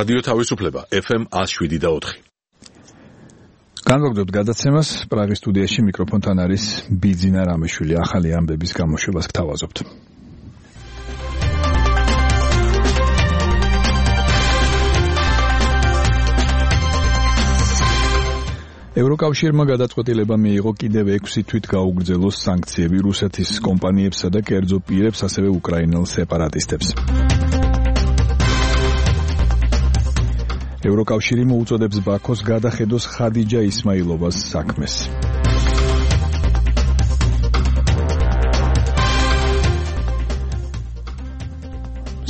რადიო თავისუფლება FM 107.4. განვაგრძობთ გადაცემას. პრაღის სტუდიაში მიკროფონთან არის ბიძინა რამიშვილი. ახალი ამბების გამოშვებას გთავაზობთ. ევროკავშირმა გადაწყვეტილება მიიღო კიდევ 6 თვით გაუგრძელოს სანქციები რუსეთის კომპანიებსა და კერძო პირებს, ასევე უკრაინელ სეპარატისტებს. ევროკავშირი მოუწოდებს ბაქოს გადახედოს ხადიჯა ისმაილოვას საქმეს.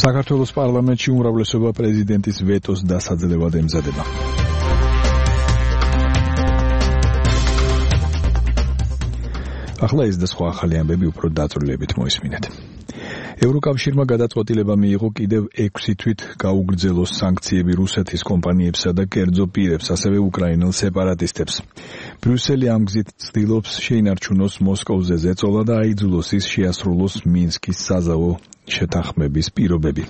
საქართველოს პარლამენტში უმრავლესობა პრეზიდენტის ვეტოს დასაძლევად ემზადება. ახლა ეს და სხვა ახალი ამბები უფრო დაწვრილებით მოისმინეთ. ევროკავშირმა გადაწყვეტილება მიიღო კიდევ 6 თვით გაუგრძელოს სანქციები რუსეთის კომპანიებსა და კერძო პირებს, ასევე უკრაინელ სეპარატისტებს. ბრიუსელი ამ გზით ცდილობს შეინარჩუნოს მოსკოვზე ზეწოლა და აიძულოს ის შეასრულოს მინსკის საზავო შეთანხმების პირობები.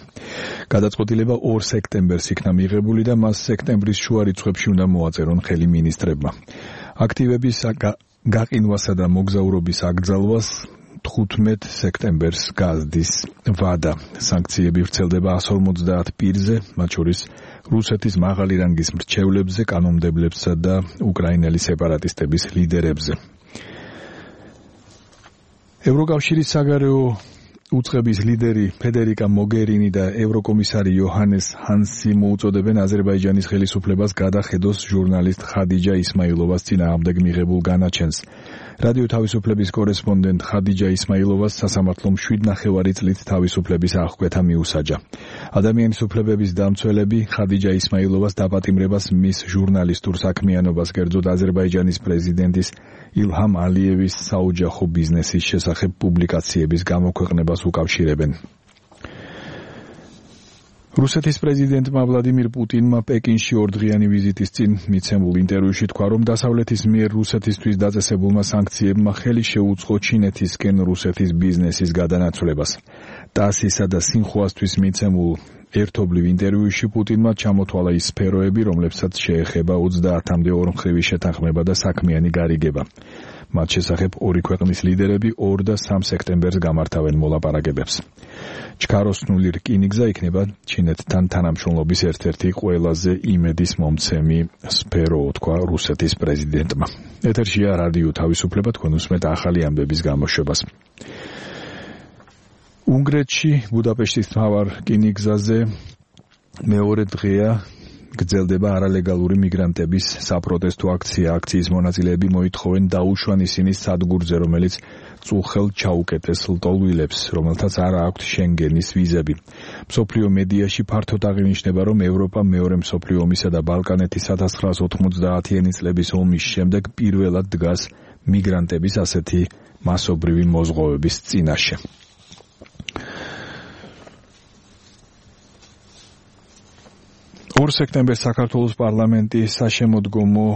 გადაწყვეტილება 2 სექტემბერს იქნა მიღებული და მას სექტემბრის შუა რიცხვებში უნდა მოაწერონ ხელი მინისტრებმა. აქტივების გაყინვასა და მოგზაურობის აკრძალვას 15 სექტემბერს გაზდის ვადა. სანქციები ვრცელდება 150 პირზე, მათ შორის რუსეთის მაღალი რანგის მრჩევლებზე, კანონმდებლებსა და უკრაინელი სეპარატისტების ლიდერებზე. ევროკავშირის საგარეო უწყების ლიდერი ფედერიკა მოგერინი და ევროკომისარი იოჰანეს ჰანსი მოუწოდებენ აზერბაიჯანის ხელისუფლებას გადახედოს ჟურნალისტ ხადიჯა ისმაილოვას წინააღმდეგ მიღებულ განაჩენს. რადიო თავისუფლების კორესპონდენტ ხადიჯა ისმაილოვას სასამართლომ 7,5 წლით თავისუფლების აღკვეთა მიუსაჯა. ადამიანის უფლებების დამცველები ხადიჯა ისმაილოვას დაპატიმრებას მის ჟურნალისტურ საქმიანობას, კერძოდ აზერბაიჯანის პრეზიდენტის ილჰამ ალიევის საოჯახო ბიზნესის შესახებ პუბლიკაციების გამოქვეყნებას უკავშირებენ. რუსეთის პრეზიდენტმა ვლადიმირ პუტინმა პეკინში 2 დღიანი ვიზიტის წინ მიცემულ ინტერვიუში თქვა, რომ დასავლეთის მიერ რუსეთისთვის დაწესებულმა სანქციებმა ხელი შეუწყო ჩინეთისკენ რუსეთის ბიზნესის გადანაცვლებას. ტასისა და სინხუასთვის მიცემულ ერთობლივ ინტერვიუში პუტინმა ჩამოთვალა ის სფეროები, რომლებსაც შეეხება 30-მდე ორმხრივი შეთანხმება და საქმიანი გარიგება. მათ შესახებ 2 ქვეყნის ლიდერები 2 და 3 სექტემბერს გამართავენ მოლაპარაკებებს. ჩქაროსნული რკინიგზა იქნება ჩინეთთან თანამშრომლობის ერთ-ერთი ყველაზე იმედის მომცემი სფერო, თქვა რუსეთის პრეზიდენტმა. ეთერშია რადიო თავისუფლება, თქვენ უსმენთ ახალი ამბების გამოშვებას. უნგრეთში ბუდაპეშტის მთავარ რკინიგზაზე მეორე დღეა გრძელდება არალეგალური მიგრანტების საპროტესტო აქცია. აქციის მონაწილეები მოითხოვენ დაუშვან ისინი სადგურზე, რომელიც წუხელ ჩაუკეტეს ლტოლვილებს, რომელთაც არ აქვთ შენგენის ვიზები. მსოფლიო მედიაში ფართოდ აღინიშნება, რომ ევროპა მეორე მსოფლიო ომისა და ბალკანეთის 1990-იანი წლების ომის შემდეგ პირველად დგას მიგრანტების ასეთი მასობრივი მოზღოვების წინაშე. სექტემბერს საქართველოს პარლამენტის საშემოდგომო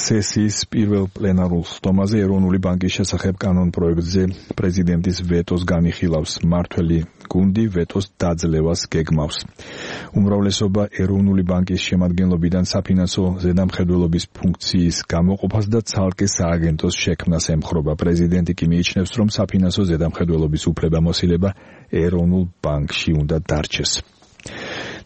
სესიის პირველ პლენარულ სხდომაზე ეროვნული ბანკის შესახებ კანონპროექტზე პრეზიდენტის ვეტოს განიხილავს. მმართველი გუნდი ვეტოს დაძლევას გეგმავს. უმრავლესობა ეროვნული ბანკის შემადგენლობიდან საფინანსო ზედამხედველობის ფუნქციის გამოყოფას და ცალკე სააგენტოს შექმნას ემხრობა. პრეზიდენტი კი მიიჩნევს, რომ საფინანსო ზედამხედველობის უფლებამოსილება ეროვნულ ბანკში უნდა დარჩეს.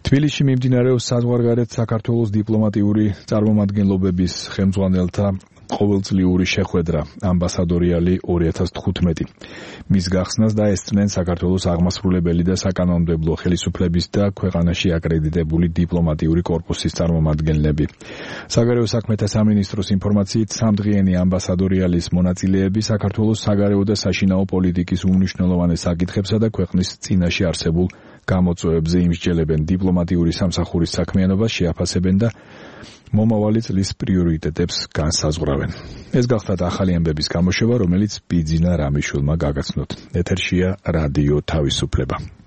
თბილისში მიმდინარეობს საზღვარგარეთ საქართველოს დიპლომატიური წარმომადგენლობების ხელმძღვანელთა ყოველწლიური შეხვედრა ამბასადორიალი 2015. მის გახსნას დაესწრნენ საქართველოს აღმასრულებელი და საკანონმდებლო ხელისუფლების და ქვეყანაში აკრედიტებული დიპლომატიური კორპუსის წარმომადგენლები. საგარეო საქმეთა სამინისტროს ინფორმაციით, 3 დღიანი ამბასადორიალის მონაწილეები საქართველოს საგარეო და საშინაო პოლიტიკის უმნიშვნელოვანეს საკითხებსა და ქვეყნის წინაშე არსებულ გამოწვევებზე იმსჯელებენ, დიპლომატიური სამსახურის საქმიანობას შეაფასებენ და მომავალი წლის პრიორიტეტებს განსაზღვრავენ. ეს გახლავთ ახალი ამბების გამოშვება, რომელიც ბიძინა რამიშვილმა გაგაცნოთ. ეთერშია რადიო თავისუფლება.